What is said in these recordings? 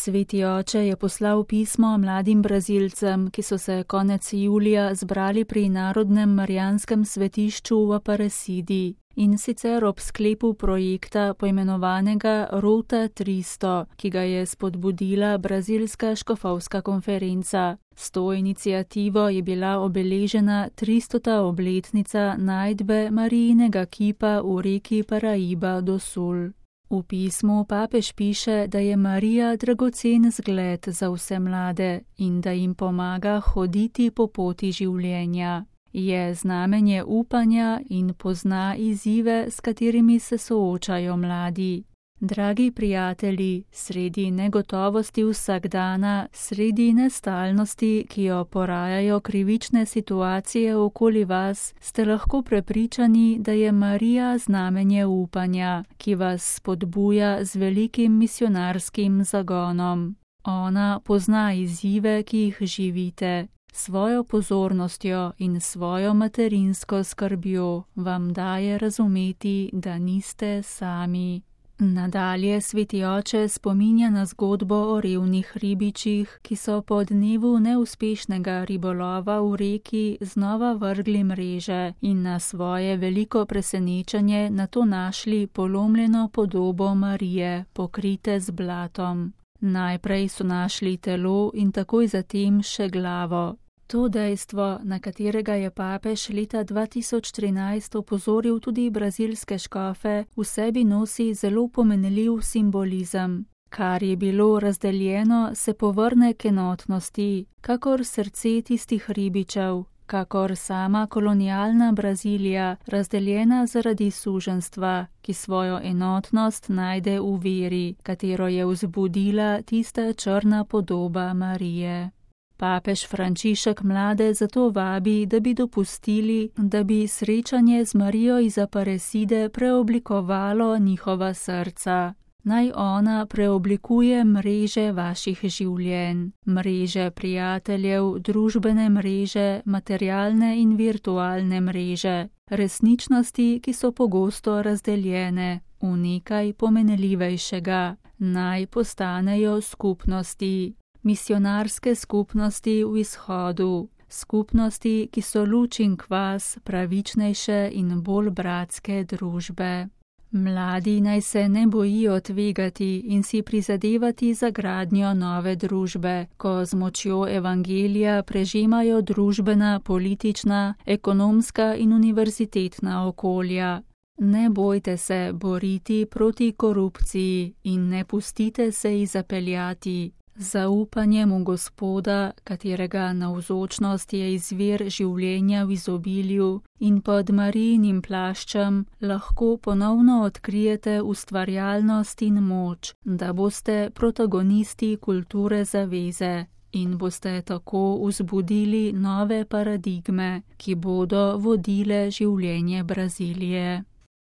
Sveti oče je poslal pismo mladim Brazilcem, ki so se konec julija zbrali pri Narodnem marijanskem svetišču v Aparecidi, in sicer ob sklepu projekta poimenovanega Rota 300, ki ga je spodbudila Brazilska škofovska konferenca. S to iniciativo je bila obeležena 300. obletnica najdbe Marijinega kipa v reki Paraíba do Sul. V pismu papež piše, da je Marija dragocen zgled za vse mlade in da jim pomaga hoditi po poti življenja. Je znamenje upanja in pozna izzive, s katerimi se soočajo mladi. Dragi prijatelji, sredi negotovosti vsakdana, sredi nestalnosti, ki jo porajajo krivične situacije okoli vas, ste lahko prepričani, da je Marija znamenje upanja, ki vas spodbuja z velikim misionarskim zagonom. Ona pozna izzive, ki jih živite. Svojo pozornostjo in svojo materinsko skrbjo vam daje razumeti, da niste sami. Nadalje Sveti oče spominja na zgodbo o revnih ribičih, ki so po dnevu neuspešnega ribolova v reki znova vrgli mreže in na svoje veliko presenečenje nato našli polomljeno podobo Marije, pokrite z blatom. Najprej so našli telo in takoj zatem še glavo. To dejstvo, na katerega je papež leta 2013 opozoril tudi brazilske škofe, v sebi nosi zelo pomenljiv simbolizem. Kar je bilo razdeljeno, se povrne k enotnosti, kakor srce tistih ribičev, kakor sama kolonialna Brazilija, razdeljena zaradi suženjstva, ki svojo enotnost najde v veri, katero je vzbudila tista črna podoba Marije. Papež Frančišek mlade zato vabi, da bi dopustili, da bi srečanje z Marijo iz Aparecide preoblikovalo njihova srca. Naj ona preoblikuje mreže vaših življenj, mreže prijateljev, družbene mreže, materialne in virtualne mreže, resničnosti, ki so pogosto razdeljene v nekaj pomenljivejšega. Naj postanejo skupnosti. Misionarske skupnosti v izhodu, skupnosti, ki so luč in kvas pravičnejše in bolj bratske družbe. Mladi naj se ne bojijo tvegati in si prizadevati za gradnjo nove družbe, ko z močjo evangelija prežemajo družbena, politična, ekonomska in univerzitetna okolja. Ne bojte se boriti proti korupciji in ne pustite se ji zapeljati. Zaupanjem v Gospoda, katerega navzočnost je izvir življenja v izobilju, in pod Marijinim plaščem lahko ponovno odkrijete ustvarjalnost in moč, da boste protagonisti kulture zaveze in boste tako vzbudili nove paradigme, ki bodo vodile življenje Brazilije.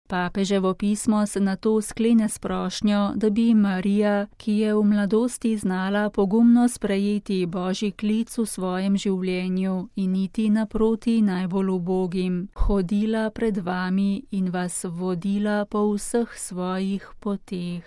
Papeževo pismo se nato sklene s prošnjo, da bi Marija, ki je v mladosti znala pogumno sprejeti Božji klic v svojem življenju in iti naproti najbolj ubogim, hodila pred vami in vas vodila po vseh svojih poteh.